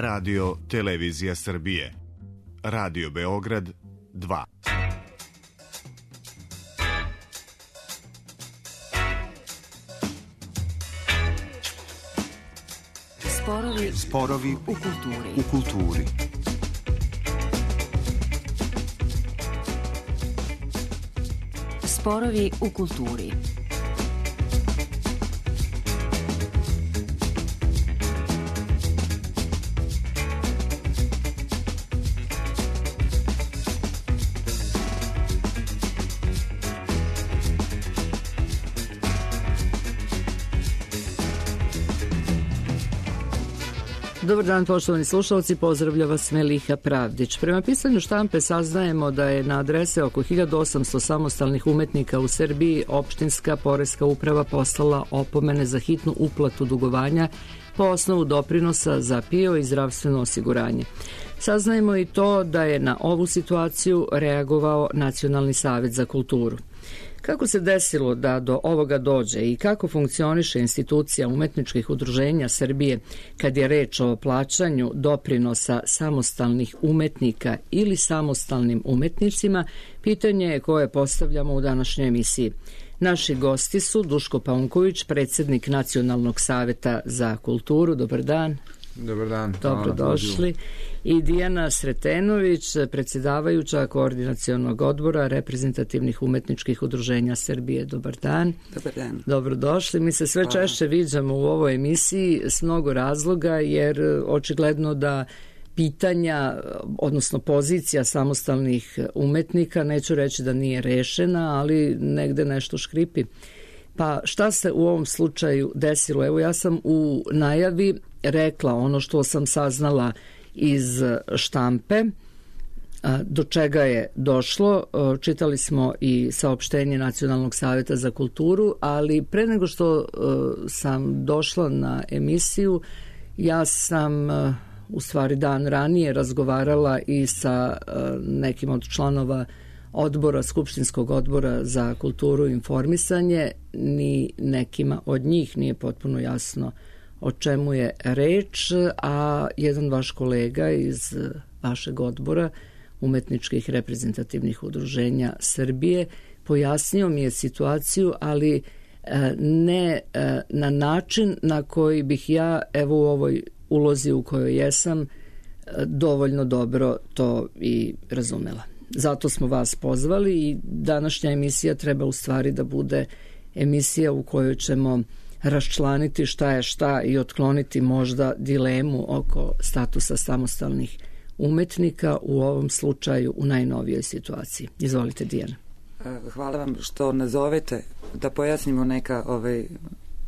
Radio Televizija Srbije. Radio Beograd 2. Sporovi u kulturi. Sporovi u kulturi. Dobar dan, poštovani slušalci, pozdravlja vas Meliha Pravdić. Prema pisanju štampe saznajemo da je na adrese oko 1800 samostalnih umetnika u Srbiji opštinska poreska uprava poslala opomene za hitnu uplatu dugovanja po osnovu doprinosa za PIO i zdravstveno osiguranje. Saznajemo i to da je na ovu situaciju reagovao Nacionalni savet za kulturu. Kako se desilo da do ovoga dođe i kako funkcioniše institucija umetničkih udruženja Srbije kad je reč o plaćanju doprinosa samostalnih umetnika ili samostalnim umetnicima, pitanje je koje postavljamo u današnjoj emisiji. Naši gosti su Duško Paunković, predsjednik Nacionalnog saveta za kulturu. Dobar dan. Dobar dan. Dobrodošli. I Dijana Sretenović, predsjedavajuća Koordinacionog odbora reprezentativnih umetničkih udruženja Srbije. Dobar dan. Dobar dan. Dobrodošli. Mi se sve češće viđamo u ovoj emisiji s mnogo razloga, jer očigledno da pitanja, odnosno pozicija samostalnih umetnika, neću reći da nije rešena, ali negde nešto škripi. Pa šta se u ovom slučaju desilo? Evo, ja sam u najavi rekla ono što sam saznala iz štampe, do čega je došlo. Čitali smo i saopštenje Nacionalnog saveta za kulturu, ali pre nego što sam došla na emisiju, ja sam u stvari dan ranije razgovarala i sa nekim od članova odbora, Skupštinskog odbora za kulturu i informisanje. Ni nekima od njih nije potpuno jasno o čemu je reč, a jedan vaš kolega iz vašeg odbora umetničkih reprezentativnih udruženja Srbije pojasnio mi je situaciju, ali ne na način na koji bih ja, evo u ovoj ulozi u kojoj jesam, dovoljno dobro to i razumela. Zato smo vas pozvali i današnja emisija treba u stvari da bude emisija u kojoj ćemo raščlaniti šta je šta i otkloniti možda dilemu oko statusa samostalnih umetnika, u ovom slučaju u najnovijoj situaciji. Izvolite, Dijana. Hvala vam što nazovete da pojasnimo neka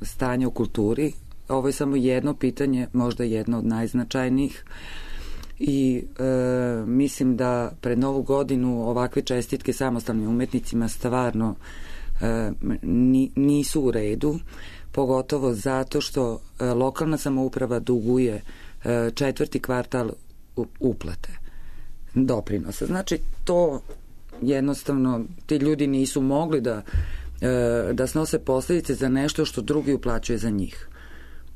stanje u kulturi. Ovo je samo jedno pitanje, možda jedno od najznačajnijih. I mislim da pred Novu godinu ovakve čestitke samostalnim umetnicima stvarno nisu u redu, pogotovo zato što lokalna samouprava duguje četvrti kvartal uplate doprinosa. Znači, to jednostavno ti ljudi nisu mogli da snose posljedice za nešto što drugi uplaćuje za njih.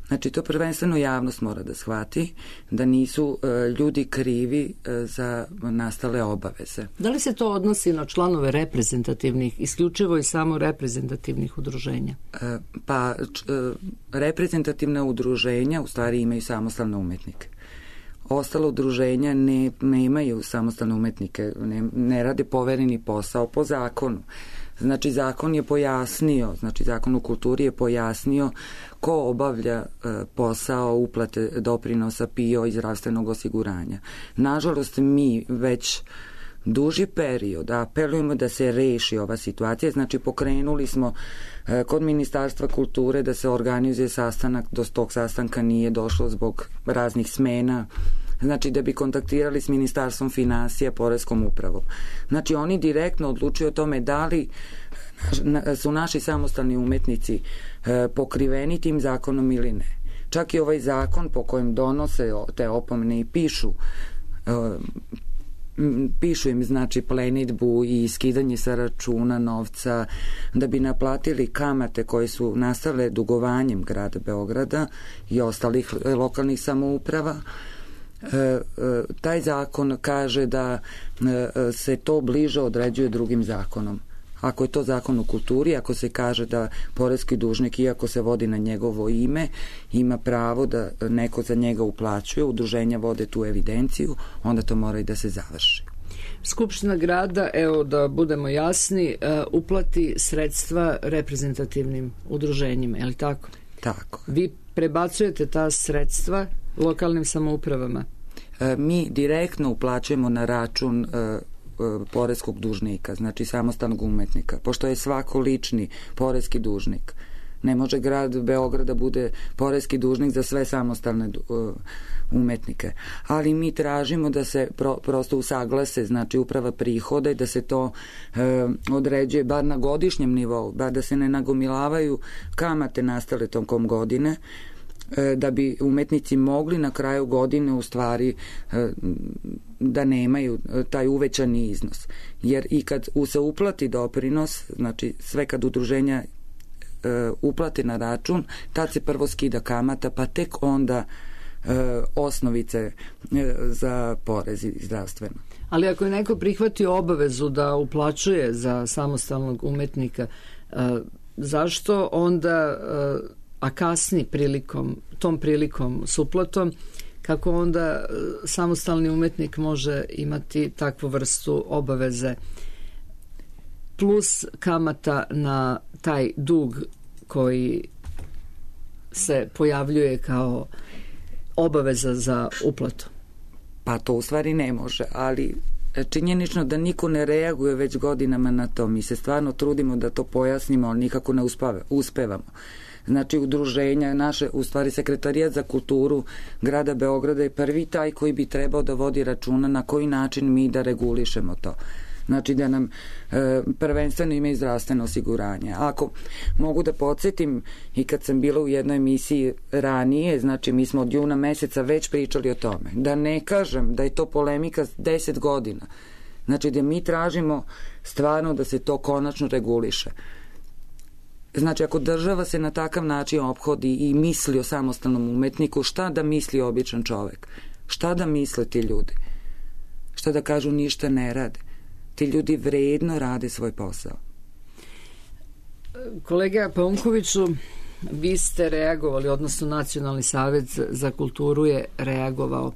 Znači, to prvenstveno javnost mora da shvati, da nisu ljudi krivi za nastale obaveze. Da li se to odnosi na članove reprezentativnih, isključivo i samo reprezentativnih udruženja? Reprezentativna udruženja u stvari imaju samostalne umetnike. Ostala udruženja ne imaju samostalne umetnike, ne rade povereni posao po zakonu. Znači, zakon je pojasnio, zakon u kulturi je pojasnio ko obavlja posao uplate doprinosa PIO i zdravstvenog osiguranja. Nažalost, mi već duži period apelujemo da se reši ova situacija. Znači, pokrenuli smo kod Ministarstva kulture da se organizuje sastanak, do tog sastanka nije došlo zbog raznih smena. Znači, da bi kontaktirali s Ministarstvom finansija, Poreskom upravom. Znači, oni direktno odlučuju o tome da li su naši samostalni umetnici pokriveni tim zakonom ili ne. Čak i ovaj zakon po kojem donose te opomene i pišu im, znači, plenidbu i skidanje sa računa novca da bi naplatili kamate koje su nastale dugovanjem grada Beograda i ostalih lokalnih samouprava. taj zakon kaže da se to bliže određuje drugim zakonom. Ako je to zakon o kulturi, ako se kaže da poreski dužnik, iako se vodi na njegovo ime, ima pravo da neko za njega uplaćuje, udruženja vode tu evidenciju, onda to mora i da se završi. Skupština grada, evo da budemo jasni, uplati sredstva reprezentativnim udruženjima, je li tako? Tako. Vi prebacujete ta sredstva lokalnim samoupravama? Mi direktno uplaćujemo na račun poreskog dužnika, znači samostalnog umetnika, pošto je svako lični poreski dužnik. Ne može grad Beograda bude poreski dužnik za sve samostalne umetnike. Ali mi tražimo da se prosto usaglase, znači uprava prihoda i da se to određuje bar na godišnjem nivou, bar da se ne nagomilavaju kamate nastale tokom godine, da bi umetnici mogli na kraju godine u stvari da nemaju taj uvećani iznos. Jer i kad se uplati doprinos, znači sve kad udruženja uplati na račun, tad se prvo skida kamata, pa tek onda osnovice za porez i zdravstveno. Ali ako je neko prihvatio obavezu da uplaćuje za samostalnog umetnika, zašto onda, a kasni tom prilikom s uplatom, kako onda samostalni umetnik može imati takvu vrstu obaveze plus kamata na taj dug koji se pojavljuje kao obaveza za uplatu? Pa to u stvari ne može, ali činjenično da niko ne reaguje već godinama na to. Mi se stvarno trudimo da to pojasnimo, ali nikako ne uspevamo. Znači udruženja naše, u stvari Sekretarijat za kulturu grada Beograda je prvi taj koji bi trebao da vodi računa na koji način mi da regulišemo to. Znači da nam prvenstveno ima i zdravstveno osiguranje. Ako mogu da podsjetim, i kad sam bila u jednoj emisiji ranije, znači mi smo od juna meseca već pričali o tome. Da ne kažem da je to polemika 10 godina. Znači da mi tražimo stvarno da se to konačno reguliše. Znači ako država se na takav način ophodi i misli o samostalnom umetniku, šta da misli običan čovek? Šta da misle ti ljudi? Šta da kažu ništa ne rade? Ti ljudi vredno rade svoj posao. Kolega Paunkoviću, vi ste reagovali, odnosno Nacionalni savet za kulturu je reagovao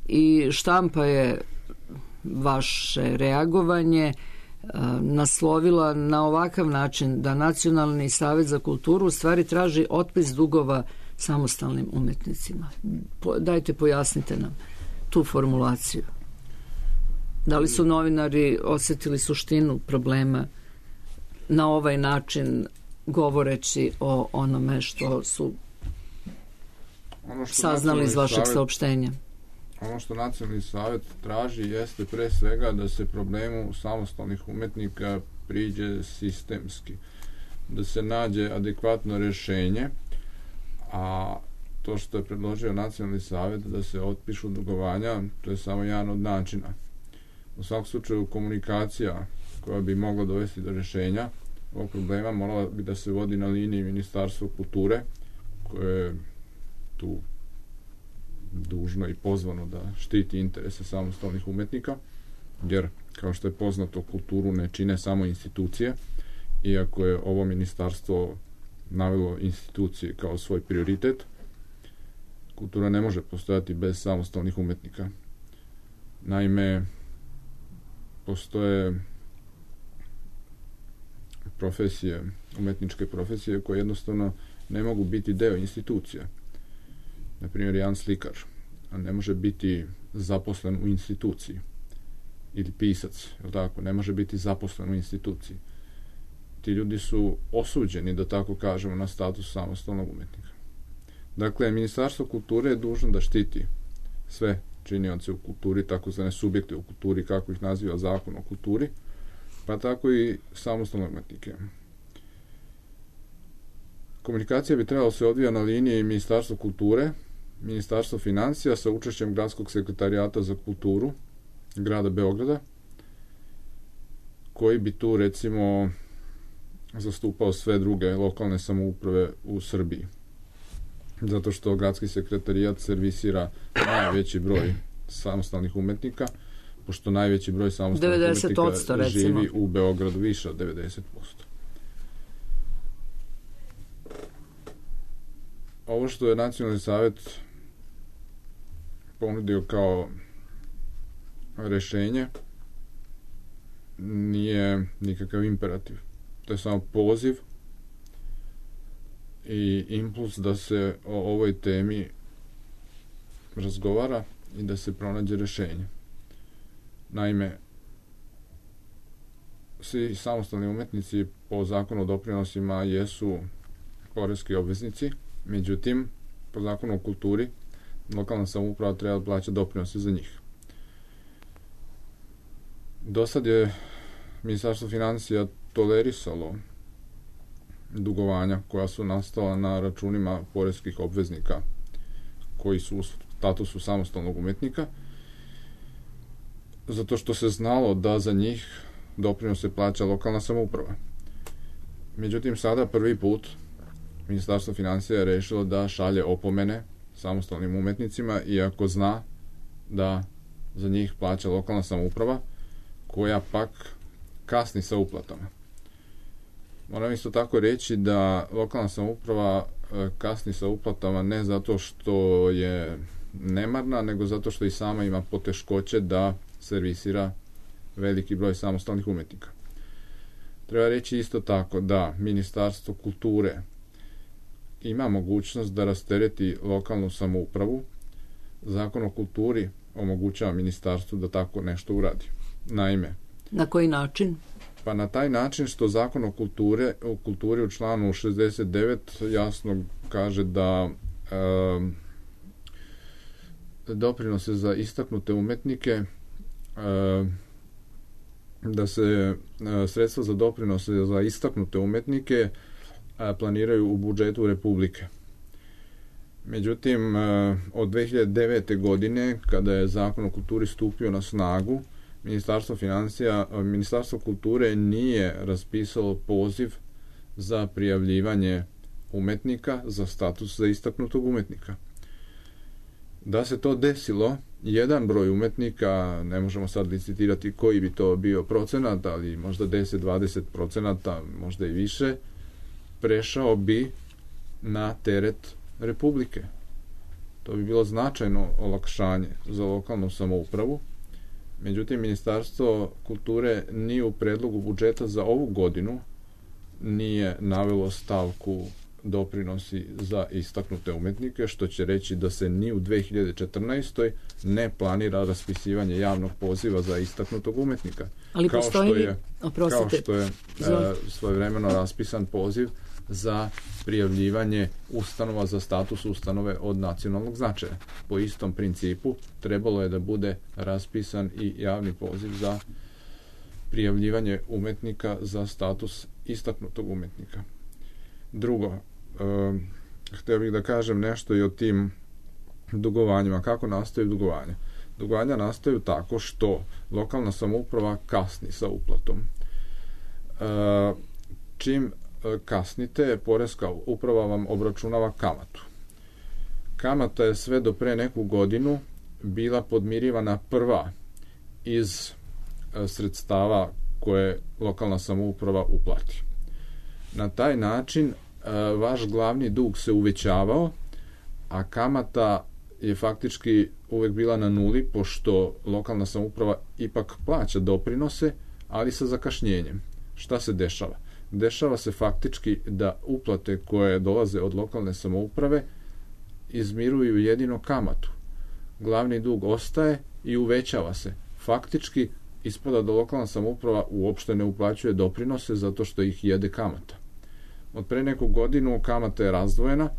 i štampa je vaše reagovanje naslovila na ovakav način da Nacionalni savet za kulturu u stvari traži otpis dugova samostalnim umetnicima. Dajte, pojasnite nam tu formulaciju. Da li su novinari osjetili suštinu problema na ovaj način govoreći o onome što su saznali iz vašeg saopštenja? Ono što Nacionalni savet traži jeste pre svega da se problemu samostalnih umetnika priđe sistemski, da se nađe adekvatno rješenje, a to što je predložio Nacionalni savet da se otpišu dugovanja, to je samo jedan od načina. U svakom slučaju komunikacija koja bi mogla dovesti do rješenja ovog problema morala bi da se vodi na liniji Ministarstva kulture, koje je tu dužno i pozvano da štiti interese samostalnih umetnika, jer kao što je poznato kulturu ne čine samo institucije, iako je ovo ministarstvo navelo institucije kao svoj prioritet, kultura ne može postojati bez samostalnih umetnika. Naime, postoje profesije, umetničke profesije koje jednostavno ne mogu biti deo institucija. Naprimjer, jedan slikar ne može biti zaposlen u instituciji, ili pisac, je tako, ne može biti zaposlen u instituciji. Ti ljudi su osuđeni, da tako kažemo, na status samostalnog umetnika. Dakle, Ministarstvo kulture je dužno da štiti sve činioce u kulturi, takozvane subjekte u kulturi, kako ih naziva Zakon o kulturi, pa tako i samostalne umetnike. Komunikacija bi trebala se odvija na liniji Ministarstva kulture, Ministarstvo financija sa učešćem Gradskog sekretarijata za kulturu grada Beograda, koji bi tu recimo zastupao sve druge lokalne samouprave u Srbiji. Zato što Gradski sekretarijat servisira najveći broj samostalnih umetnika, pošto najveći broj samostalnih 90%, umetnika živi u Beogradu, više od 90%. Ovo što je Nacionalni savet ponudio kao rešenje nije nikakav imperativ. To je samo poziv i impuls da se o ovoj temi razgovara i da se pronađe rešenje. Naime, svi samostalni umetnici po zakonu o doprinosima jesu poreski obveznici, međutim, po zakonu o kulturi, lokalna samouprava treba da plaća doprinose za njih. Do sad je Ministarstvo finansija tolerisalo dugovanja koja su nastala na računima poreskih obveznika koji su u statusu samostalnog umetnika, zato što se znalo da za njih doprinose plaća lokalna samouprava. Međutim, sada prvi put Ministarstvo finansija je rešilo da šalje opomene samostalnim umetnicima, iako zna da za njih plaća lokalna samouprava, koja pak kasni sa uplatama. Moram isto tako reći da lokalna samouprava kasni sa uplatama ne zato što je nemarna, nego zato što i sama ima poteškoće da servisira veliki broj samostalnih umetnika. Treba reći isto tako da Ministarstvo kulture ima mogućnost da rastereti lokalnu samoupravu. Zakon o kulturi omogućava ministarstvu da tako nešto uradi. Naime, na koji način? Pa na taj način što zakon o kulturi u članu 69 jasno kaže da doprinose za istaknute umetnike, da se sredstva za doprinose za istaknute umetnike planiraju u budžetu Republike. Međutim, od 2009. godine, kada je zakon o kulturi stupio na snagu, Ministarstvo kulture nije raspisalo poziv za prijavljivanje umetnika za status za istaknutog umetnika. Da se to desilo, jedan broj umetnika, ne možemo sad licitirati koji bi to bio procenat, ali možda 10-20%, možda i više, prešao bi na teret Republike. To bi bilo značajno olakšanje za lokalnu samoupravu. Međutim, Ministarstvo kulture ni u predlogu budžeta za ovu godinu nije navelo stavku doprinosi za istaknute umetnike, što će reći da se ni u 2014. ne planira raspisivanje javnog poziva za istaknutog umetnika. Ali kao što je svojevremeno raspisan poziv za prijavljivanje ustanova za status ustanove od nacionalnog značaja. Po istom principu trebalo je da bude raspisan i javni poziv za prijavljivanje umetnika za status istaknutog umetnika. Drugo, htio bih da kažem nešto i o tim dugovanjima. Kako nastaju dugovanja? Dugovanja nastaju tako što lokalna samouprava kasni sa uplatom. Čim kasnite, poreska uprava vam obračunava kamatu. Kamata je sve do pre neku godinu bila podmirivana prva iz sredstava koje lokalna samouprava uplati. Na taj način vaš glavni dug se uvećavao, a kamata je faktički uvek bila na nuli, pošto lokalna samouprava ipak plaća doprinose, ali sa zakašnjenjem. Šta se dešava? Dešava se faktički da uplate koje dolaze od lokalne samouprave izmiruju jedino kamatu. Glavni dug ostaje i uvećava se. Faktički ispada da lokalna samouprava uopšte ne uplaćuje doprinose zato što ih jede kamata. Od pre neku godinu kamata je razdvojena,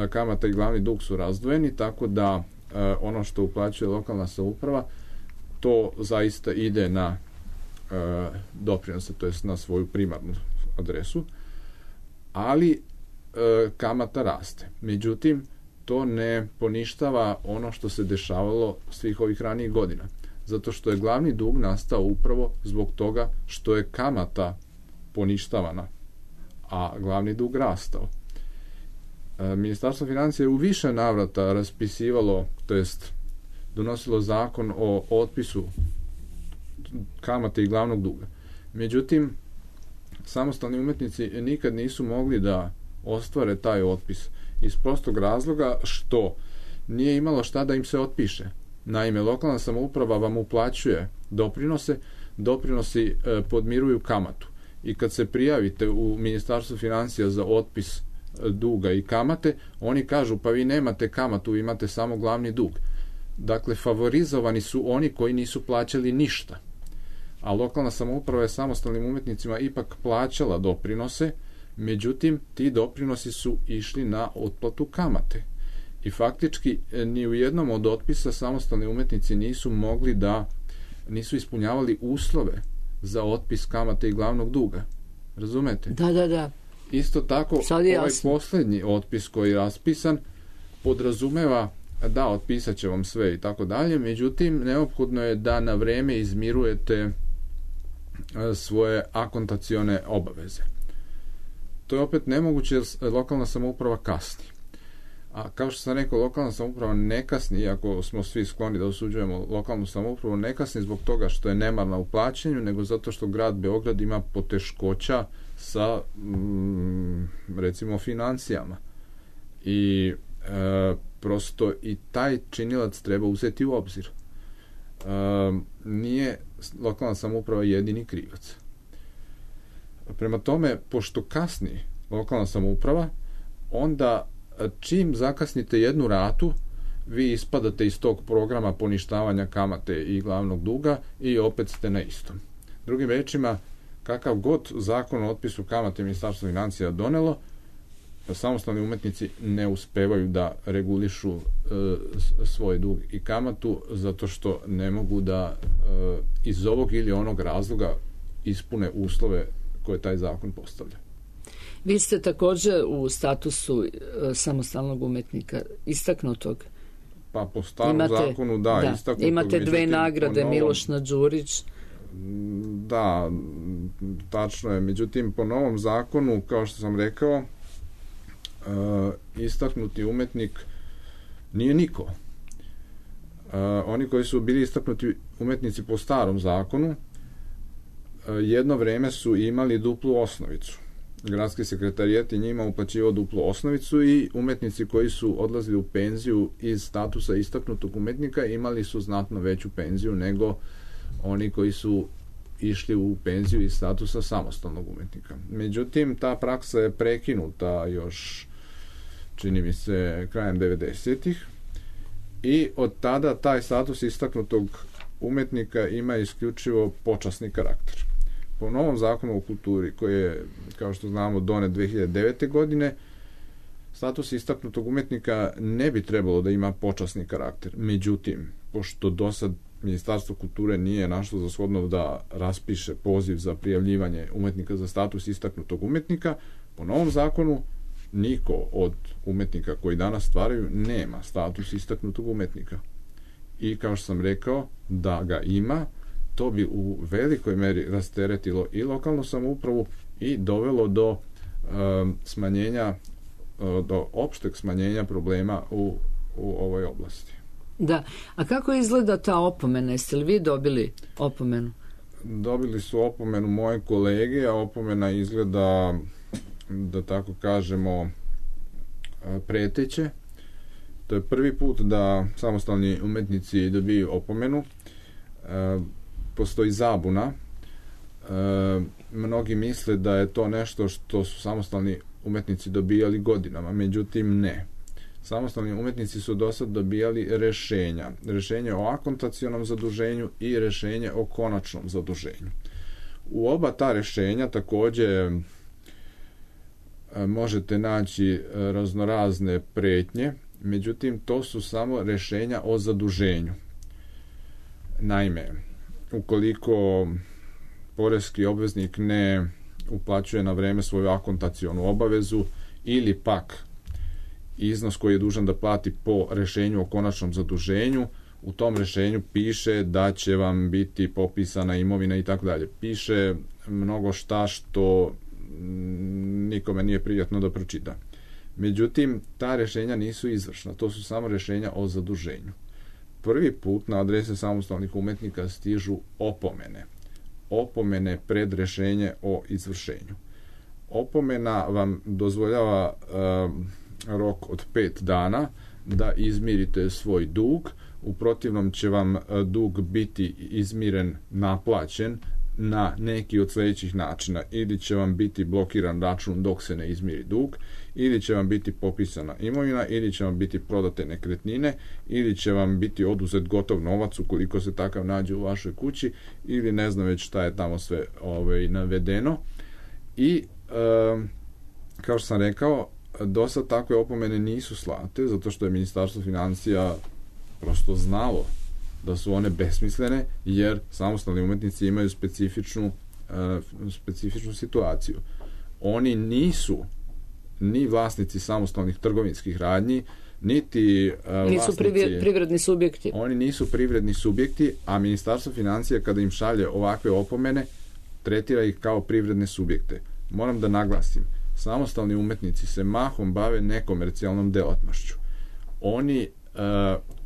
kamata i glavni dug su razdvojeni, tako da ono što uplaćuje lokalna samouprava, to zaista ide na doprinose, to jest na svoju primarnu adresu, ali kamata raste. Međutim, to ne poništava ono što se dešavalo svih ovih ranijih godina, zato što je glavni dug nastao upravo zbog toga što je kamata poništavana, a glavni dug rastao. Ministarstvo finansija je u više navrata raspisivalo, to jest donosilo zakon o otpisu kamate i glavnog duga. Međutim, samostalni umetnici nikad nisu mogli da ostvare taj otpis iz prostog razloga što nije imalo šta da im se otpiše. Naime, lokalna samouprava vam uplaćuje doprinose, doprinosi podmiruju kamatu. I kad se prijavite u Ministarstvu financija za otpis duga i kamate, oni kažu pa vi nemate kamatu, vi imate samo glavni dug. Dakle, favorizovani su oni koji nisu plaćali ništa. A lokalna samouprava je samostalnim umetnicima ipak plaćala doprinose, međutim, ti doprinosi su išli na otplatu kamate. I faktički ni u jednom od otpisa samostalni umetnici nisu ispunjavali uslove za otpis kamate i glavnog duga. Razumete? Da. Isto tako, ovaj posljednji otpis koji je raspisan podrazumeva da otpisat će vam sve i tako dalje, međutim, neophodno je da na vreme izmirujete svoje akontacione obaveze. To je opet nemoguće jer lokalna samouprava kasni. A kao što sam rekao, lokalna samouprava ne kasni, iako smo svi skloni da osuđujemo lokalnu samoupravu, ne kasni zbog toga što je nemarna u plaćanju, nego zato što grad Beograd ima poteškoća sa recimo financijama. I prosto i taj činilac treba uzeti u obzir. Nije lokalna samouprava jedini krivac. Prema tome, pošto kasni lokalna samouprava, onda čim zakasnite jednu ratu, vi ispadate iz tog programa poništavanja kamate i glavnog duga i opet ste na istom. Drugim rečima, kakav god zakon o otpisu kamate Ministarstvo financija donelo, samostalni umetnici ne uspevaju da regulišu svoj dug i kamatu zato što ne mogu da iz ovog ili onog razloga ispune uslove koje taj zakon postavlja. Vi ste također u statusu samostalnog umetnika istaknutog. Pa po starom zakonu istaknutog. Imate 2 nagrade, Miloš Đurić. Da, tačno je. Međutim, po novom zakonu, kao što sam rekao, istaknuti umetnik nije niko. Oni koji su bili istaknuti umetnici po starom zakonu jedno vreme su imali duplu osnovicu. Gradski sekretarijat je njima uplaćivao duplu osnovicu i umetnici koji su odlazili u penziju iz statusa istaknutog umetnika imali su znatno veću penziju nego oni koji su išli u penziju iz statusa samostalnog umetnika. Međutim, ta praksa je prekinuta još, čini mi se, krajem 90-ih i od tada taj status istaknutog umetnika ima isključivo počasni karakter. Po novom zakonu o kulturi, koji je, kao što znamo, donet 2009. godine, status istaknutog umetnika ne bi trebalo da ima počasni karakter. Međutim, pošto do sad Ministarstvo kulture nije našlo za shodno da raspiše poziv za prijavljivanje umetnika za status istaknutog umetnika, po novom zakonu niko od umetnika koji danas stvaraju nema status istaknutog umetnika. I kao što sam rekao, da ga ima, to bi u velikoj meri rasteretilo i lokalnu samoupravu i dovelo do smanjenja, do opšteg smanjenja problema u ovoj oblasti. Da, a kako izgleda ta opomena? Jeste li vi dobili opomenu? Dobili su opomenu moje kolege, a opomena izgleda, da tako kažemo, preteće. To je prvi put da samostalni umetnici dobiju opomenu. Postoji zabuna. Mnogi misle da je to nešto što su samostalni umetnici dobijali godinama, međutim ne. Samostalni umetnici su do sad dobijali rešenja. Rešenje o akontacionom zaduženju i rešenje o konačnom zaduženju. U oba ta rešenja takođe možete naći raznorazne pretnje, međutim to su samo rešenja o zaduženju. Naime, ukoliko poreski obveznik ne uplaćuje na vreme svoju akontacionu obavezu ili pak iznos koji je dužan da plati po rešenju o konačnom zaduženju, u tom rešenju piše da će vam biti popisana imovina i tako dalje. Piše mnogo šta što nikome nije prijatno da pročita. Međutim, ta rešenja nisu izvršna, to su samo rešenja o zaduženju. prvi put na adrese samostalnih umetnika stižu opomene. Opomene pred rešenje o izvršenju. Opomena vam dozvoljava rok od 5 dana da izmirite svoj dug, u protivnom će vam dug biti izmiren, naplaćen na neki od sledećih načina. Ili će vam biti blokiran račun dok se ne izmiri dug, ili će vam biti popisana imovina, ili će vam biti prodate nekretnine, ili će vam biti oduzet gotov novac ukoliko se takav nađe u vašoj kući, ili ne znam već šta je tamo sve navedeno. I kao što sam rekao, do sad takve opomene nisu slate, zato što je Ministarstvo finansija prosto znalo da su one besmislene, jer samostalni umetnici imaju specifičnu situaciju. Oni nisu ni vlasnici samostalnih trgovinskih radnji, niti nisu privredni subjekti. Oni nisu privredni subjekti, a Ministarstvo finansija kada im šalje ovakve opomene, tretira ih kao privredne subjekte. Moram da naglasim, samostalni umetnici se mahom bave nekomercijalnom delatnošću. Oni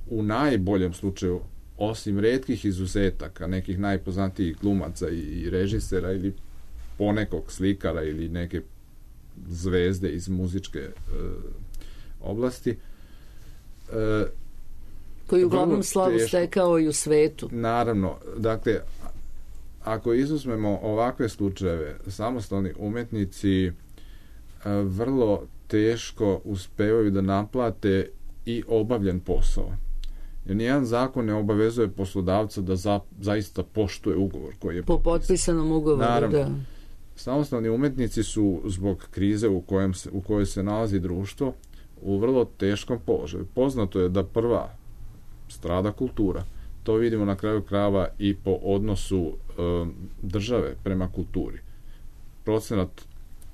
u najboljem slučaju, osim retkih izuzetaka, nekih najpoznatijih glumaca i režisera ili ponekog slikara ili neke zvezde iz muzičke oblasti, koji uglavnom slavu stekao i u svetu. Naravno, dakle, ako izuzmemo ovakve slučajeve, samostalni umetnici vrlo teško uspevaju da naplate i obavljen posao. Jer nijedan zakon ne obavezuje poslodavca da zaista poštuje ugovor koji je po potpisanom ugovoru. Naravno, da. Samostalni umetnici su zbog krize u kojoj se nalazi društvo u vrlo teškom položaju. Poznato je da prva strada kultura. To vidimo na kraju krajeva i po odnosu države prema kulturi. Procenat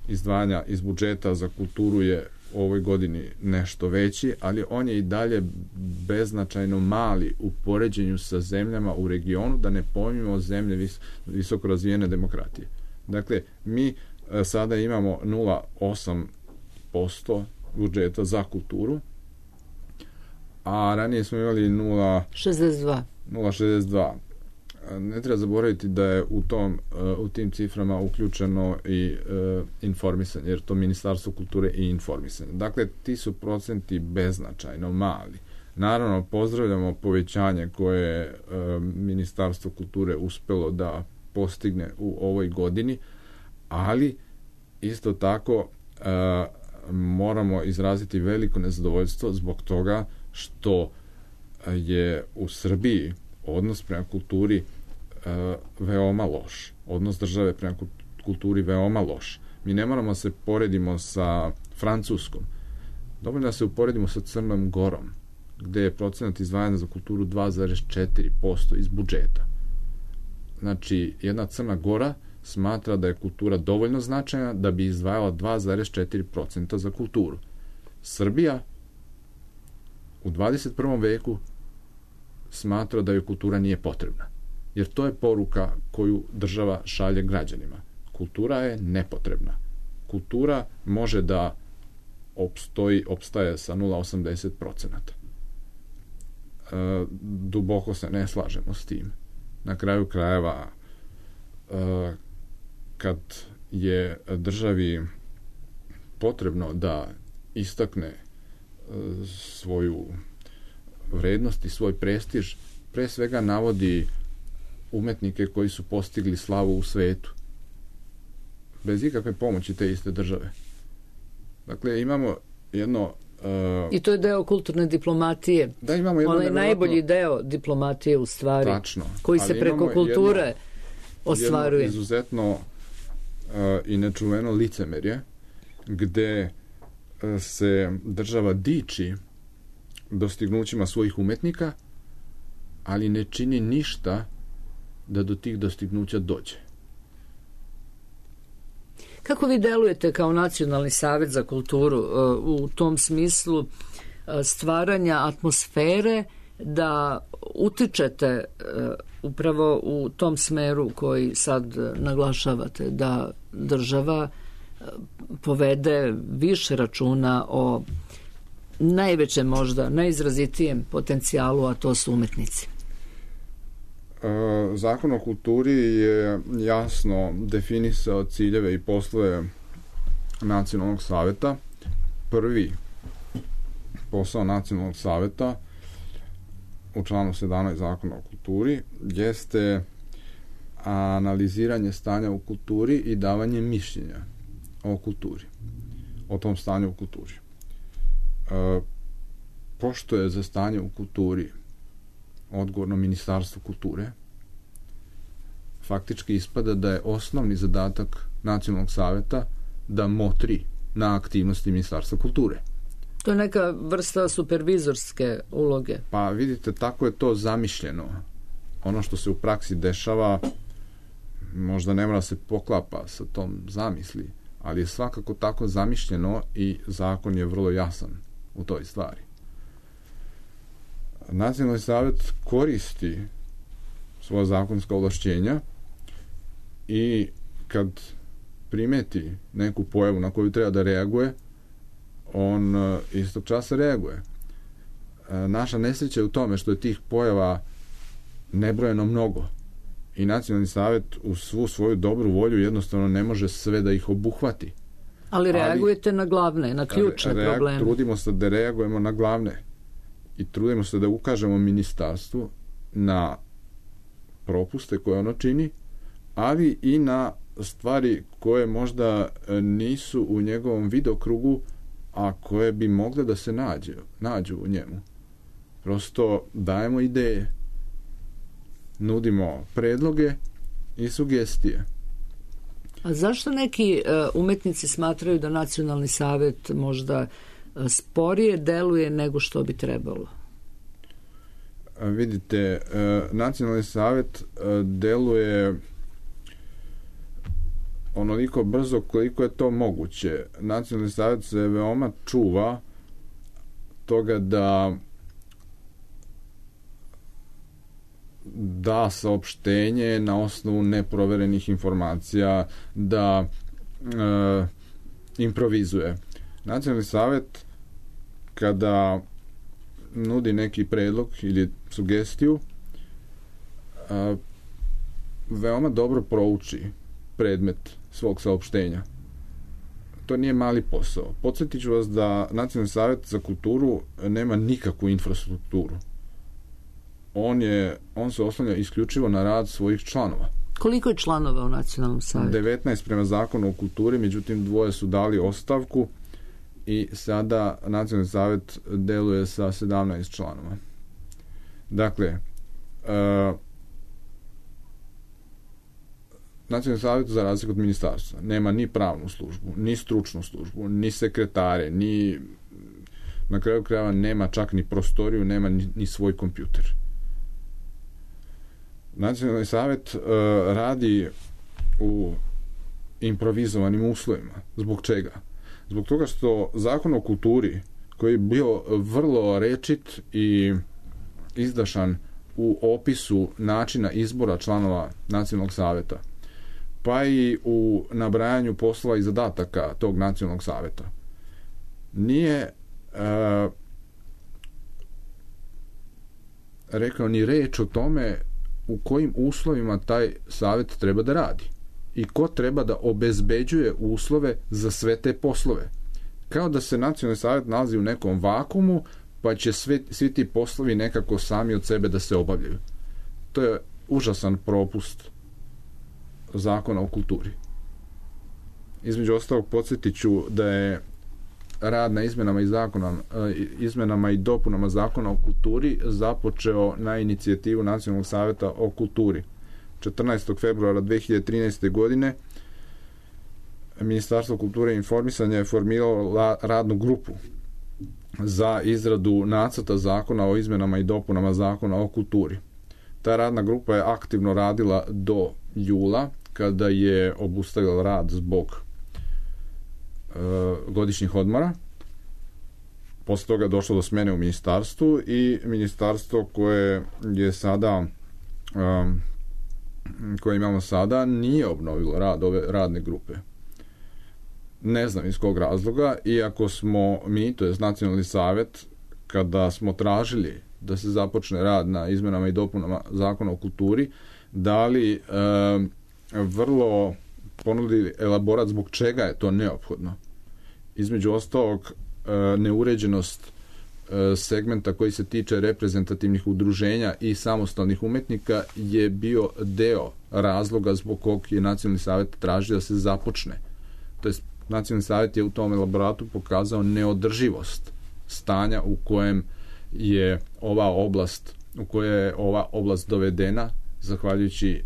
izdvajanja iz budžeta za kulturu je u ovoj godini nešto veći, ali on je i dalje beznačajno mali u poređenju sa zemljama u regionu, da ne pominjemo zemlje visoko razvijene demokratije. Dakle, mi sada imamo 0,8% budžeta za kulturu, a ranije smo imali 0,62. Ne treba zaboraviti da je u tim ciframa uključeno i informisanje, jer to Ministarstvo kulture i informisanje. Dakle, ti su procenti beznačajno mali. Naravno, pozdravljamo povećanje koje je Ministarstvo kulture uspelo da postigne u ovoj godini, ali isto tako moramo izraziti veliko nezadovoljstvo zbog toga što je u Srbiji odnos prema kulturi veoma loš. Odnos države prema kulturi veoma loš. Mi ne moramo se poredimo sa Francuskom. Dovoljno da se uporedimo sa Crnom Gorom, gde je procenat izdvajanja za kulturu 2,4% iz budžeta. Znači, jedna Crna Gora smatra da je kultura dovoljno značajna da bi izdvajala 2,4% za kulturu. Srbija u 21. veku smatra da joj kultura nije potrebna. Jer to je poruka koju država šalje građanima. Kultura je nepotrebna. Kultura može da opstaje sa 0,80%. Duboko se ne slažemo s tim. Na kraju krajeva, kad je državi potrebno da istakne svoju vrednost i svoj prestiž, pre svega navodi umetnike koji su postigli slavu u svetu, bez ikakve pomoći te iste države. Dakle, imamo jedno... I to je deo kulturne diplomatije. Da, imamo jedno... Onaj najbolji deo diplomatije u stvari. Tačno. Koji se preko kulture ostvaruje. Jedno izuzetno i nečuveno licemerje, gde se država diči dostignućima svojih umetnika, ali ne čini ništa da do tih dostignuća dođe. Kako vi delujete kao Nacionalni savet za kulturu u tom smislu stvaranja atmosfere da utičete upravo u tom smeru koji sad naglašavate, da država povede više računa o najvećem možda, najizrazitijem potencijalu, a to su umetnici? Zakon o kulturi je jasno definisao ciljeve i poslove Nacionalnog saveta. Prvi posao Nacionalnog saveta u članu 17 Zakona o kulturi jeste analiziranje stanja u kulturi i davanje mišljenja o kulturi, o tom stanju u kulturi. Pošto je za stanje u kulturi odgovorno Ministarstvo kulture, faktički ispada da je osnovni zadatak Nacionalnog saveta da motri na aktivnosti Ministarstva kulture. To je neka vrsta supervizorske uloge. Pa vidite, tako je to zamišljeno. Ono što se u praksi dešava možda ne mora se poklapa sa tom zamisli, ali je svakako tako zamišljeno i zakon je vrlo jasan u toj stvari. Nacionalni savjet koristi svoja zakonska ovlašćenja i kad primeti neku pojavu na koju treba da reaguje, on istog časa reaguje. Naša nesreća je u tome što je tih pojava nebrojeno mnogo i Nacionalni savjet u svu svoju dobru volju jednostavno ne može sve da ih obuhvati. Ali reagujete na glavne, na ključne probleme. Trudimo se da reagujemo na glavne i trudimo se da ukažemo ministarstvu na propuste koje ono čini, ali i na stvari koje možda nisu u njegovom vidokrugu, a koje bi mogle da se nađu u njemu. Prosto dajemo ideje, nudimo predloge i sugestije. A zašto neki umetnici smatraju da Nacionalni savjet možda sporije deluje nego što bi trebalo? Vidite, Nacionalni savjet deluje onoliko brzo koliko je to moguće. Nacionalni savjet se veoma čuva toga da saopštenje na osnovu neproverenih informacija, da improvizuje. Nacionalni savjet kada nudi neki predlog ili sugestiju, veoma dobro prouči predmet svog saopštenja. To nije mali posao. Podsjetit ću vas da Nacionalni savjet za kulturu nema nikakvu infrastrukturu. On se oslanja isključivo na rad svojih članova. Koliko je članova u Nacionalnom savjetu? 19 prema zakonu o kulturi, međutim 2 su dali ostavku i sada Nacionalni savjet deluje sa 17 članova. Dakle, Nacionalni savjet, za razliku od ministarstva, nema ni pravnu službu, ni stručnu službu, ni sekretare, ni na kraju krajeva nema čak ni prostoriju, nema ni svoj kompjuter. Nacionalni savjet radi u improvizovanim uslovima. Zbog čega? Zbog toga što zakon o kulturi, koji je bio vrlo rečit i izdašan u opisu načina izbora članova Nacionalnog savjeta, pa i u nabrajanju poslova i zadataka tog Nacionalnog savjeta, nije rekao ni reč o tome u kojim uslovima taj savjet treba da radi i ko treba da obezbeđuje uslove za sve te poslove. Kao da se Nacionalni savjet nalazi u nekom vakumu, pa će svi ti poslovi nekako sami od sebe da se obavljaju. To je užasan propust zakona o kulturi. Između ostalog, podsjetit ću da je rad na izmenama i dopunama zakona o kulturi započeo na inicijativu Nacionalnog savjeta o kulturi. 14. februara 2013. godine Ministarstvo kulture i informisanja je formiralo radnu grupu za izradu nacrta zakona o izmenama i dopunama zakona o kulturi. Ta radna grupa je aktivno radila do jula, kada je obustavila rad zbog godišnjih odmora. Posle toga je došlo do smene u ministarstvu i ministarstvo koje je sada koje imamo sada nije obnovilo rad ove radne grupe. Ne znam iz kog razloga, iako smo mi, to je Nacionalni savjet, kada smo tražili da se započne rad na izmenama i dopunama Zakona o kulturi, dali vrlo ponudili elaborat zbog čega je to neophodno. Između ostalog, neuređenost segmenta koji se tiče reprezentativnih udruženja i samostalnih umetnika je bio deo razloga zbog kog je Nacionalni savjet tražio da se započne. To jest, Nacionalni savjet je u tom elaboratu pokazao neodrživost stanja u kojem je ova oblast dovedena zahvaljujući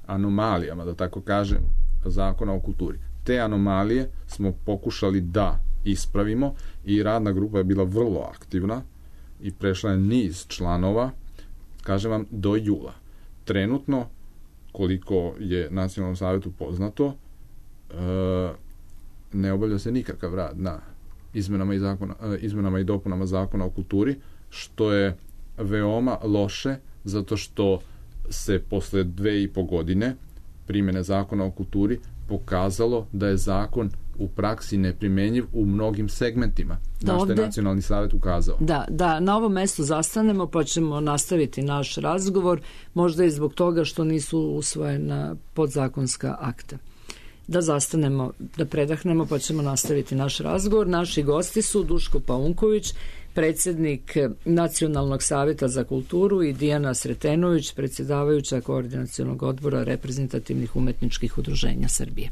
anomalijama, da tako kažem, Zakona o kulturi. Te anomalije smo pokušali da ispravimo i radna grupa je bila vrlo aktivna i prešla je niz članova, kažem vam, do jula. Trenutno, koliko je Nacionalnom savjetu poznato, ne obavlja se nikakav rad na izmenama i dopunama Zakona o kulturi, što je veoma loše, zato što se posle 2,5 godine primjene Zakona o kulturi pokazalo da je zakon u praksi neprimenjiv u mnogim segmentima, na što je Nacionalni savjet ukazao. Da, na ovom mestu zastanemo pa ćemo nastaviti naš razgovor, možda i zbog toga što nisu usvojena podzakonska akta. Da zastanemo, da predahnemo pa ćemo nastaviti naš razgovor. Naši gosti su Duško Paunković, predsjednik Nacionalnog savjeta za kulturu, i Dijana Sretenović, predsjedavajuća Koordinacionog odbora reprezentativnih umetničkih udruženja Srbije.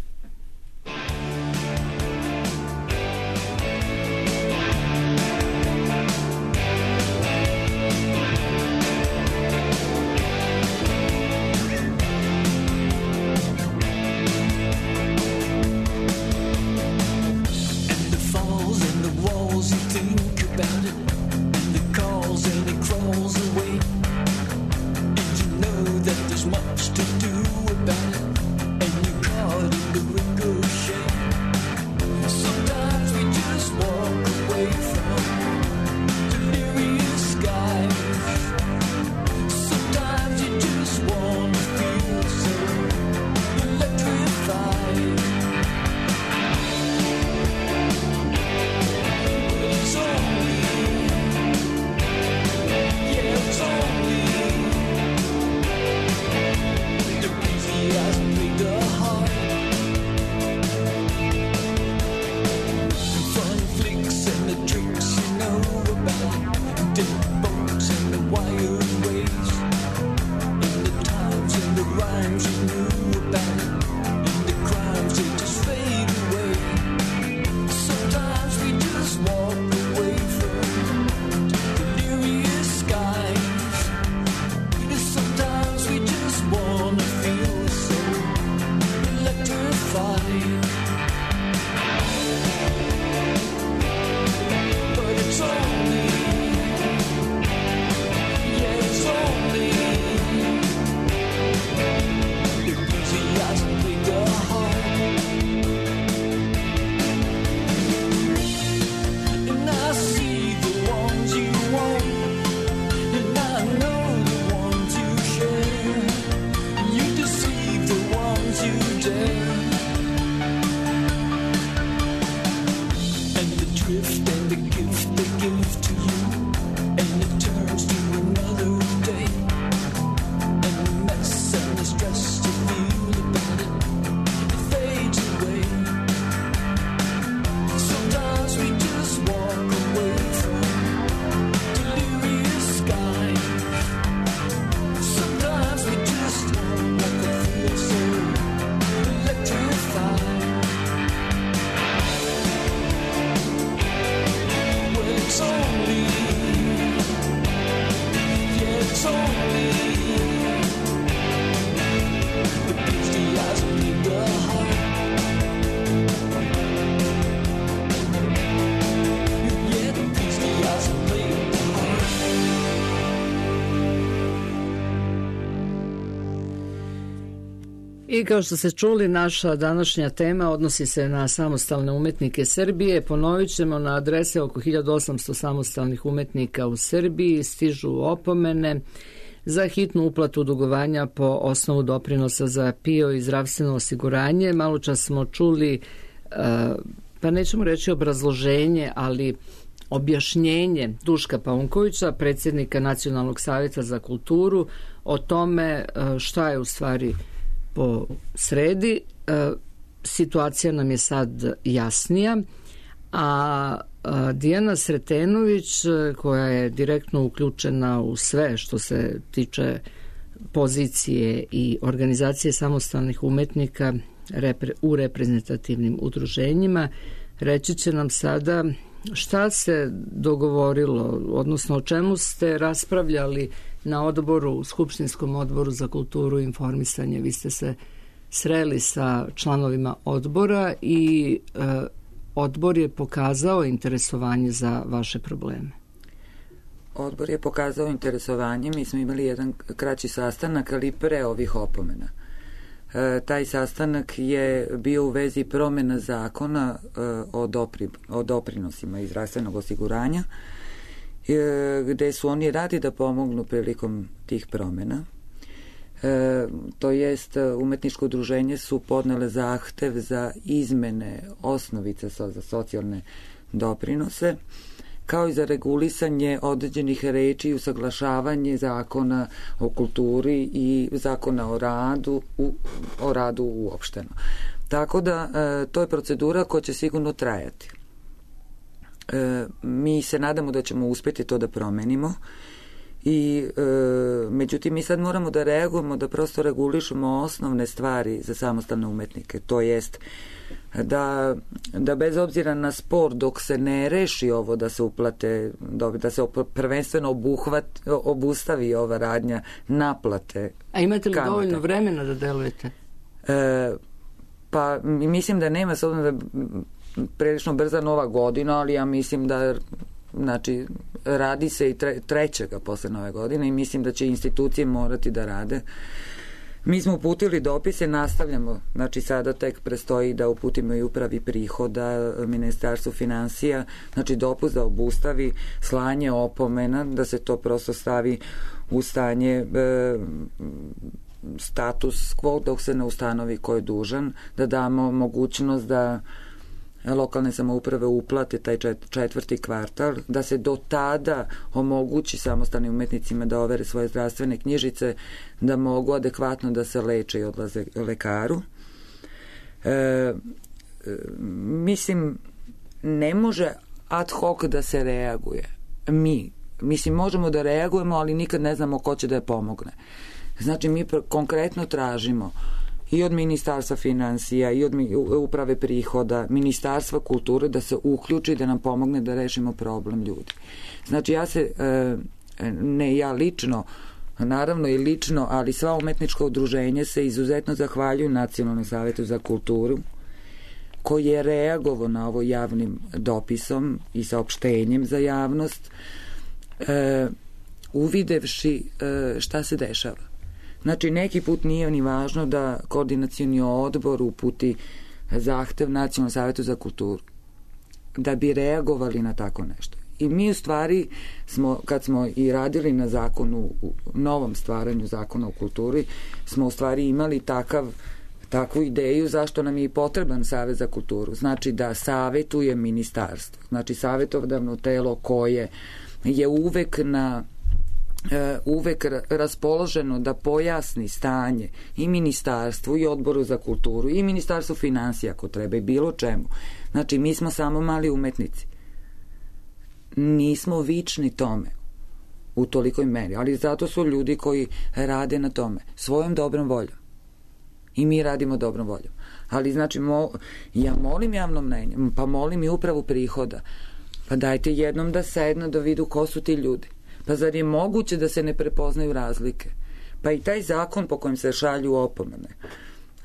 I kao što ste čuli, naša današnja tema odnosi se na samostalne umetnike Srbije. Ponovit ćemo, na adrese oko 1800 samostalnih umetnika u Srbiji stižu opomene za hitnu uplatu dugovanja po osnovu doprinosa za PIO i zdravstveno osiguranje. Malo čas smo čuli, pa nećemo reći obrazloženje, ali objašnjenje Duška Paunkovića, predsjednika Nacionalnog savjeta za kulturu, o tome šta je u stvari po sredi. Situacija nam je sad jasnija, a Dijana Sretenović, koja je direktno uključena u sve što se tiče pozicije i organizacije samostalnih umetnika u reprezentativnim udruženjima, reći će nam sada šta se dogovorilo, odnosno o čemu ste raspravljali na odboru, Skupštinskom odboru za kulturu i informisanje. Vi ste se sreli sa članovima odbora i odbor je pokazao interesovanje za vaše probleme. Odbor je pokazao interesovanje, mi smo imali jedan kraći sastanak, ali pre ovih opomena. Taj sastanak je bio u vezi promjena zakona o doprinosima iz zdravstvenog osiguranja, gde su oni radi da pomognu prilikom tih promjena. To jest, umetničko udruženje su podnele zahtev za izmene osnovice za socijalne doprinose, kao i za regulisanje određenih reči i usaglašavanje zakona o kulturi i zakona o radu uopšteno. Tako da to je procedura koja će sigurno trajati. Mi se nadamo da ćemo uspjeti to da promenimo i međutim mi sad moramo da reagujemo, da prosto regulišemo osnovne stvari za samostalne umetnike, to jest da bez obzira na spor, dok se ne reši ovo da se uplate, da se prvenstveno obustavi ova radnja naplate. A imate li dovoljno vremena da delujete? Pa mislim da nema, s obzirom da prilično brza nova godina, ali ja mislim da radi se i trećega posle nove godine i mislim da će institucije morati da rade. Mi smo uputili dopise, nastavljamo, sada tek prestoji da uputimo i upravi prihoda, Ministarstvu finansija, dopust da obustavi slanje opomena, da se to prosto stavi u stanje status quo dok se ne ustanovi ko je dužan, da damo mogućnost da lokalne samouprave uplate taj četvrti kvartal, da se do tada omogući samostalnim umetnicima da overe svoje zdravstvene knjižice, da mogu adekvatno da se leče i odlaze lekaru. Mislim, ne može ad hoc da se reaguje. Mislim, možemo da reagujemo, ali nikad ne znamo ko će da je pomogne. Znači, mi konkretno tražimo i od Ministarstva finansija i od uprave prihoda, Ministarstva kulture da se uključi, da nam pomogne da rešimo problem ljudi. Znači ne ja lično, naravno i lično, ali sva umetnička udruženja se izuzetno zahvaljuju Nacionalnom savetu za kulturu, koji je reagovao na ovo javnim dopisom i saopštenjem za javnost, uvidevši šta se dešava. Znači, neki put nije ni važno da koordinacioni odbor uputi zahtev Nacionalnom savetu za kulturu, da bi reagovali na tako nešto. I mi u stvari kad smo i radili na zakonu, novom stvaranju zakona o kulturi, smo u stvari imali takvu ideju zašto nam je i potreban Savet za kulturu. Znači da savetuje ministarstvo. Znači savetodavno telo koje je uvek raspoloženo da pojasni stanje i ministarstvu i odboru za kulturu i ministarstvu finansija ako treba i bilo čemu. Znači mi smo samo mali umetnici. Nismo vični tome u tolikoj meri, ali zato su ljudi koji rade na tome svojom dobrom voljom. I mi radimo dobrom voljom. Ali znači ja molim javno mnenje, pa molim i upravu prihoda, pa dajte jednom da sednu da vidu ko su ti ljudi. Pa zar je moguće da se ne prepoznaju razlike? Pa i taj zakon po kojem se šalju opomene.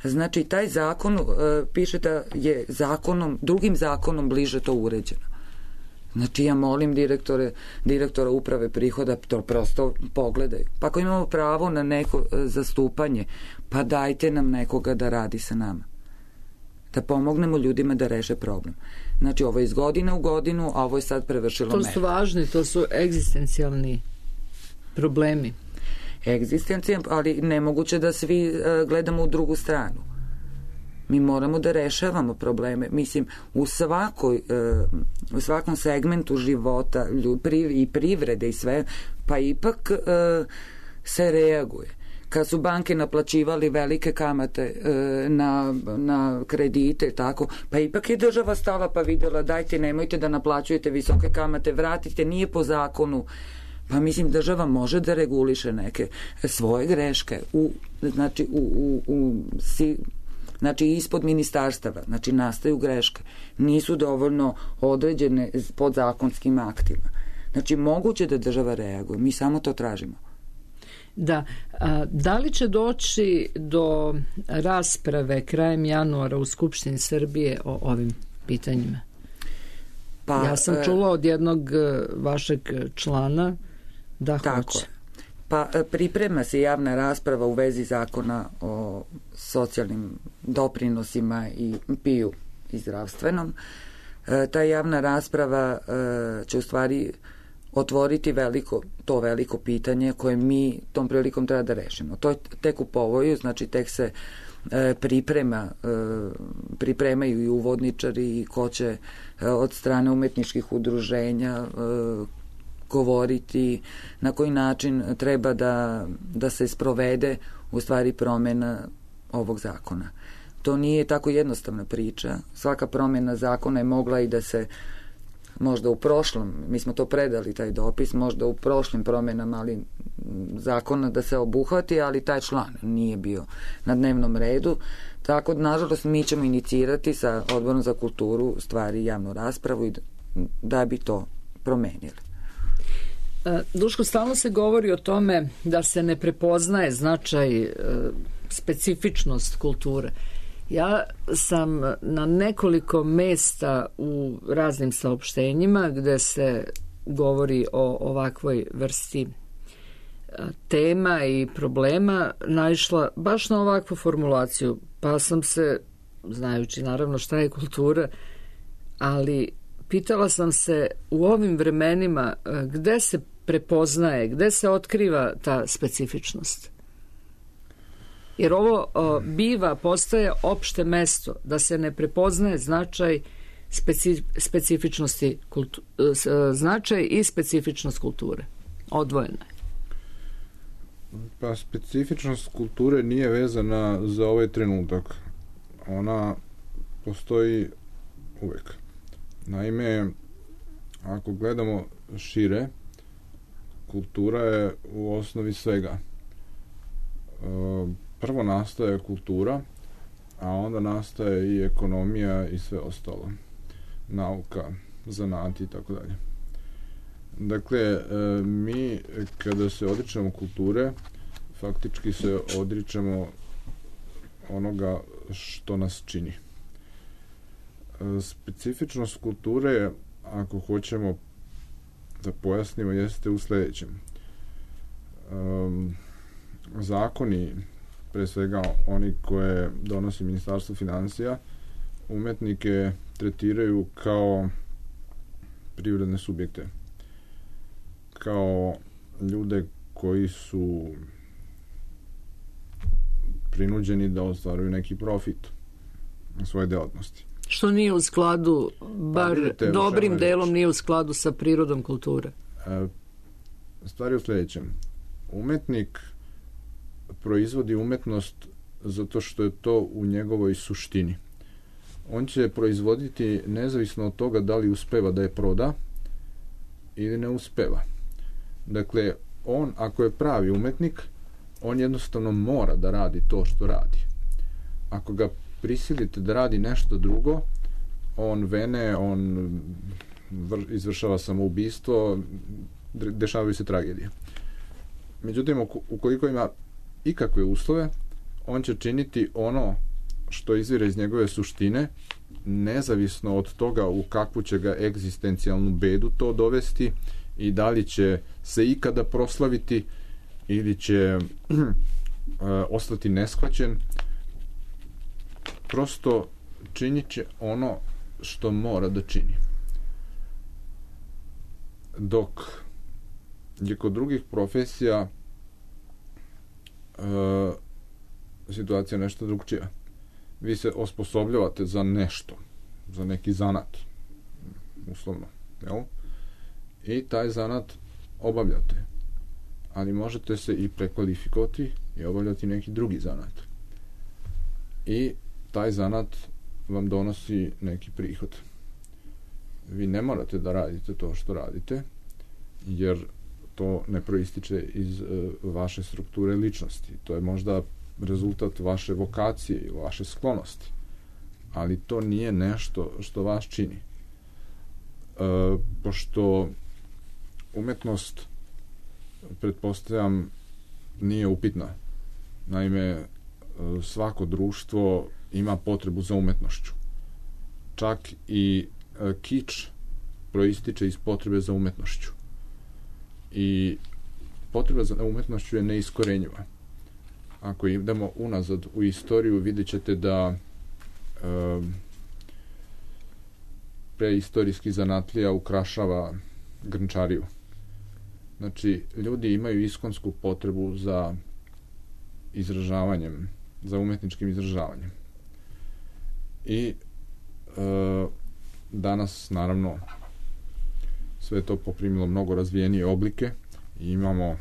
Znači, taj zakon piše da je drugim zakonom bliže to uređeno. Znači, ja molim direktora uprave prihoda, to prosto pogledaju. Pa ako imamo pravo na neko zastupanje, pa dajte nam nekoga da radi sa nama. Da pomognemo ljudima da reše problem. Znači, ovo je iz godine u godinu, a ovo je sad prevršilo meru. To su važni, to su egzistencijalni problemi. egzistencijan, ali nemoguće da svi gledamo u drugu stranu. Mi moramo da rešavamo probleme. Mislim, u svakom segmentu života i privrede i sve, pa ipak se reaguje. Kad su banke naplaćivali velike kamate na kredite, tako, pa ipak je država stala pa videla, dajte, nemojte da naplaćujete visoke kamate, vratite, nije po zakonu. Pa mislim, država može da reguliše neke svoje greške znači ispod ministarstava, znači nastaju greške, nisu dovoljno određene pod zakonskim aktima. Znači moguće da država reaguje, mi samo to tražimo. Da, da li će doći do rasprave krajem januara u Skupštini Srbije o ovim pitanjima? Pa, ja sam čula od jednog vašeg člana da hoće. Pa priprema se javna rasprava u vezi zakona o socijalnim doprinosima i PIO i zdravstvenom. Ta javna rasprava će u stvari otvoriti to veliko pitanje koje mi tom prilikom treba da rešimo. To je tek u povoju, znači tek se pripremaju i uvodničari i ko će od strane umetničkih udruženja govoriti na koji način treba da se sprovede u stvari promena ovog zakona. To nije tako jednostavna priča. Svaka promena zakona je mogla i da se možda u prošlom, mi smo to predali taj dopis, možda u prošlim promenama ali zakona da se obuhvati, ali taj član nije bio na dnevnom redu. Tako, nažalost, mi ćemo inicirati sa Odborom za kulturu stvari javnu raspravu i da bi to promenili. Duško, stalno se govori o tome da se ne prepoznaje značaj, specifičnost kulture. Ja sam na nekoliko mesta u raznim saopštenjima gde se govori o ovakvoj vrsti tema i problema naišla baš na ovakvu formulaciju, pa sam se, znajući naravno šta je kultura, ali pitala sam se u ovim vremenima gde se prepoznaje, gde se otkriva ta specifičnost. Jer ovo postaje opšte mesto, da se ne prepoznaje značaj specifičnosti značaj i specifičnost kulture. Odvojena je. Pa specifičnost kulture nije vezana za ovaj trenutak. Ona postoji uvek. Naime, ako gledamo šire, kultura je u osnovi svega. Prvo nastaje kultura, a onda nastaje i ekonomija i sve ostalo. Nauka, zanati i tako dalje. Dakle, mi kada se odričemo kulture, faktički se odričemo onoga što nas čini. Specifičnost kulture, ako hoćemo da pojasnimo, jeste u sledećem. Zakoni, pre svega oni koje donosi Ministarstvo finansija, umetnike tretiraju kao privredne subjekte, kao ljude koji su prinuđeni da ostvaruju neki profit na svoje delatnosti. Što nije u skladu, bar dobrim delom nije u skladu sa prirodom kulture. Stvar je u sledećem. Umetnik proizvodi umetnost zato što je to u njegovoj suštini. On će proizvoditi nezavisno od toga da li uspeva da je proda ili ne uspeva. Dakle, on, ako je pravi umetnik, on jednostavno mora da radi to što radi. Ako ga prisilite da radi nešto drugo, on vene, on izvršava samoubistvo, dešavaju se tragedije. Međutim, ukoliko ima ikakve uslove, on će činiti ono što izvire iz njegove suštine, nezavisno od toga u kakvu će ga egzistencijalnu bedu to dovesti i da li će se ikada proslaviti ili će ostati neshvaćen. Prosto činit će ono što mora da čini. Dok je kod drugih profesija situacija nešto drugčija. Vi se osposobljavate za nešto, za neki zanat, uslovno, jel? I taj zanat obavljate, ali možete se i prekvalifikovati i obavljati neki drugi zanat. I taj zanat vam donosi neki prihod. Vi ne morate da radite to što radite, jer to ne proističe iz vaše strukture ličnosti. To je možda rezultat vaše vokacije i vaše sklonosti, ali to nije nešto što vas čini. Pošto umetnost, pretpostavljam, nije upitna. Naime, svako društvo ima potrebu za umetnošću. Čak i kič proističe iz potrebe za umetnošću. I potreba za umetnošću je neiskorenjiva. Ako idemo unazad u istoriju, vidjet ćete da preistorijski zanatlija ukrašava grnčariju. Znači, ljudi imaju iskonsku potrebu za izražavanjem, za umetničkim izražavanjem. I danas, naravno, sve to poprimilo mnogo razvijenije oblike i imamo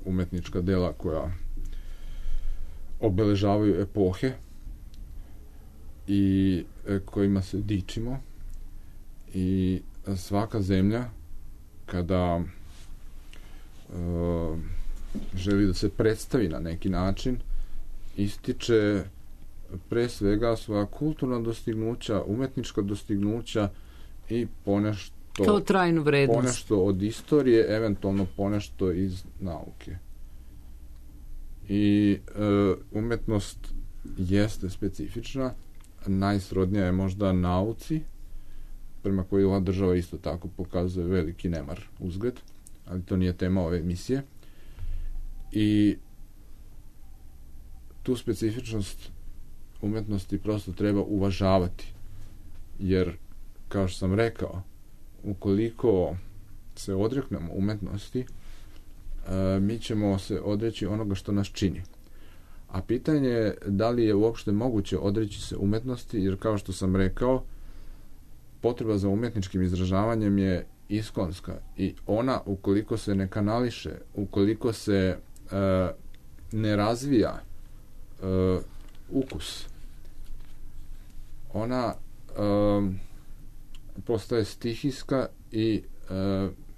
umetnička dela koja obeležavaju epohe i kojima se dičimo, i svaka zemlja kada želi da se predstavi na neki način, ističe pre svega svoja kulturna dostignuća, umetnička dostignuća i to trajnu vrednost. Ponešto od istorije, eventualno ponešto iz nauke. I umetnost jeste specifična, najsrodnija je možda nauci, prema kojoj ova država isto tako pokazuje veliki nemar uzgled, ali to nije tema ove emisije. I tu specifičnost umetnosti prosto treba uvažavati, jer, kao što sam rekao, ukoliko se odreknemo umetnosti, mi ćemo se odreći onoga što nas čini. A pitanje je da li je uopšte moguće odreći se umetnosti, jer, kao što sam rekao, potreba za umetničkim izražavanjem je iskonska i ona, ukoliko se ne kanališe, ukoliko se ne razvija ukus, ona postaje stihijska i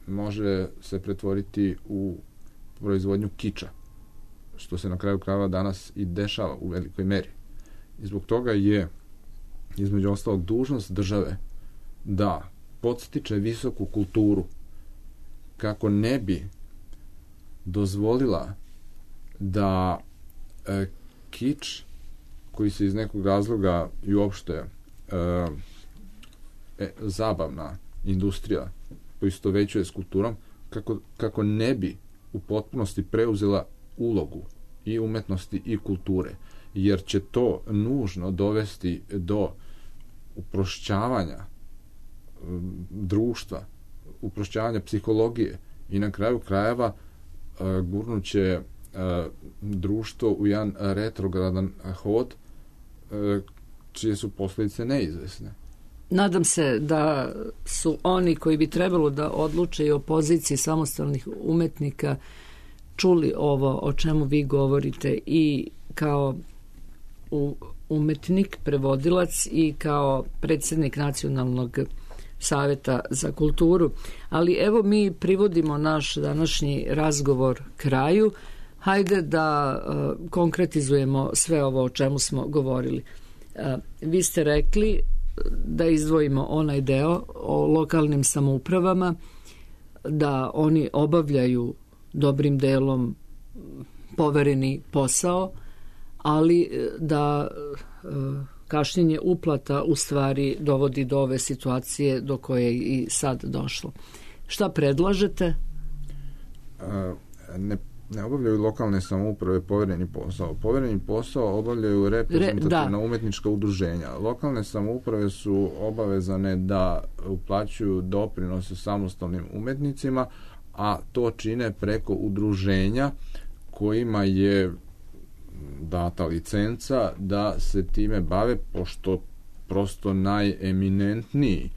može se pretvoriti u proizvodnju kiča, što se na kraju krajeva danas i dešava u velikoj meri. I zbog toga je, između ostalog, dužnost države da podstiče visoku kulturu kako ne bi dozvolila da kič, koji se iz nekog razloga i uopšte zabavna industrija poistovećuje s kulturom, kako ne bi u potpunosti preuzela ulogu i umetnosti i kulture, jer će to nužno dovesti do uprošćavanja društva, uprošćavanja psihologije i na kraju krajeva gurnuće društvo u jedan retrogradan hod čije su posljedice neizvesne. Nadam se da su oni koji bi trebalo da odluče i o poziciji samostalnih umetnika čuli ovo o čemu vi govorite i kao umetnik, prevodilac i kao predsjednik Nacionalnog saveta za kulturu. Ali evo, mi privodimo naš današnji razgovor kraju. Hajde da konkretizujemo sve ovo o čemu smo govorili. Vi ste rekli da izdvojimo onaj deo o lokalnim samoupravama, da oni obavljaju dobrim delom povereni posao, ali da kašnjenje uplata u stvari dovodi do ove situacije do koje je i sad došlo. Šta predlažete? Ne obavljaju lokalne samouprave povereni posao. Povereni posao obavljaju reprezentativna umetnička udruženja. Lokalne samouprave su obavezane da uplaćuju doprinose samostalnim umetnicima, a to čine preko udruženja kojima je data licenca da se time bave, pošto prosto najeminentniji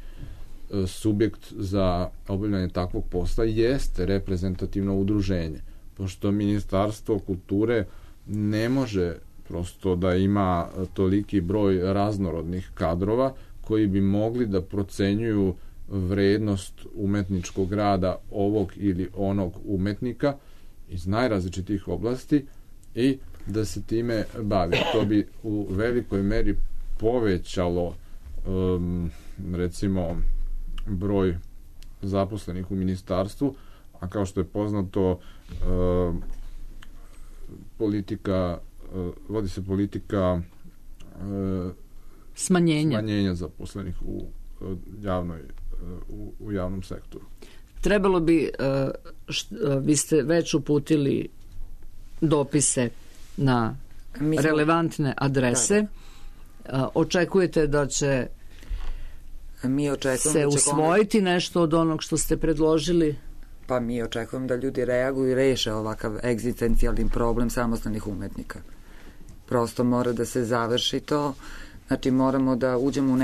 subjekt za obavljanje takvog posla jeste reprezentativno udruženje, pošto Ministarstvo kulture ne može prosto da ima toliki broj raznorodnih kadrova koji bi mogli da procenjuju vrednost umetničkog rada ovog ili onog umetnika iz najrazličitih oblasti i da se time bavi. To bi u velikoj meri povećalo recimo broj zaposlenih u ministarstvu, a kao što je poznato vodi se politika smanjenja zaposlenih u javnom sektoru. Trebalo bi, vi ste već uputili dopise na relevantne adrese. Očekujete da će se usvojiti nešto od onog što ste predložili? Pa mi očekujemo da ljudi reaguju i reše ovakav egzistencijalni problem samostalnih umetnika. Prosto mora da se završi to. Znači moramo da uđemo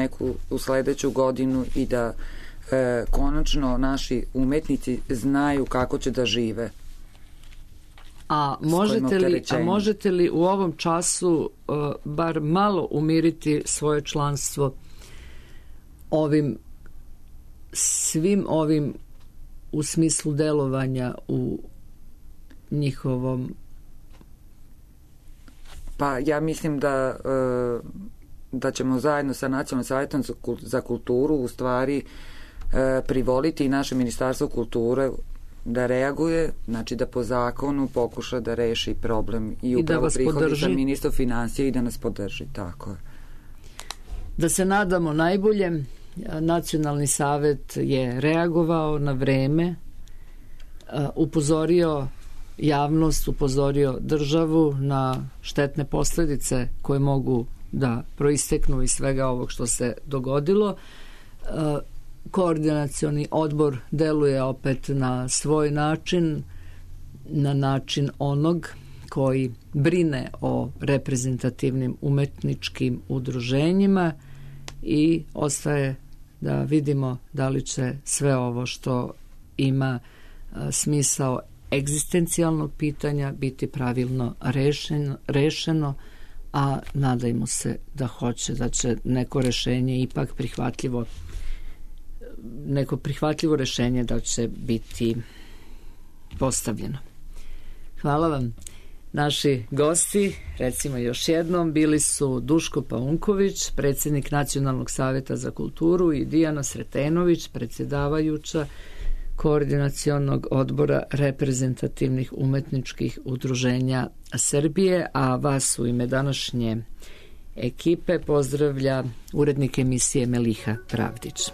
u sledeću godinu i da konačno naši umetnici znaju kako će da žive. A možete li u ovom času bar malo umiriti svoje članstvo svim ovim u smislu delovanja u njihovom? Pa ja mislim da ćemo zajedno sa Nacionalnim savjetom za kulturu u stvari privoliti i naše Ministarstvo kulture da reaguje, znači da po zakonu pokuša da reši problem i upravo prihodi sa ministrom finansija i da nas podrži, tako je. Da se nadamo najbolje. Nacionalni savet je reagovao na vreme, upozorio javnost, upozorio državu na štetne posledice koje mogu da proisteknu iz svega ovog što se dogodilo. Koordinacioni odbor deluje opet na svoj način, na način onog koji brine o reprezentativnim umetničkim udruženjima i ostaje da vidimo da li će sve ovo što ima smisao egzistencijalnog pitanja biti pravilno rešeno, a nadajmo se da hoće, da će neko rešenje ipak neko prihvatljivo rešenje da će biti postavljeno. Hvala vam. Naši gosti, recimo još jednom, bili su Duško Paunković, predsjednik Nacionalnog savjeta za kulturu, i Dijana Sretenović, predsjedavajuća Koordinacionog odbora reprezentativnih umetničkih udruženja Srbije, a vas u ime današnje ekipe pozdravlja urednik emisije Meliha Pravdić.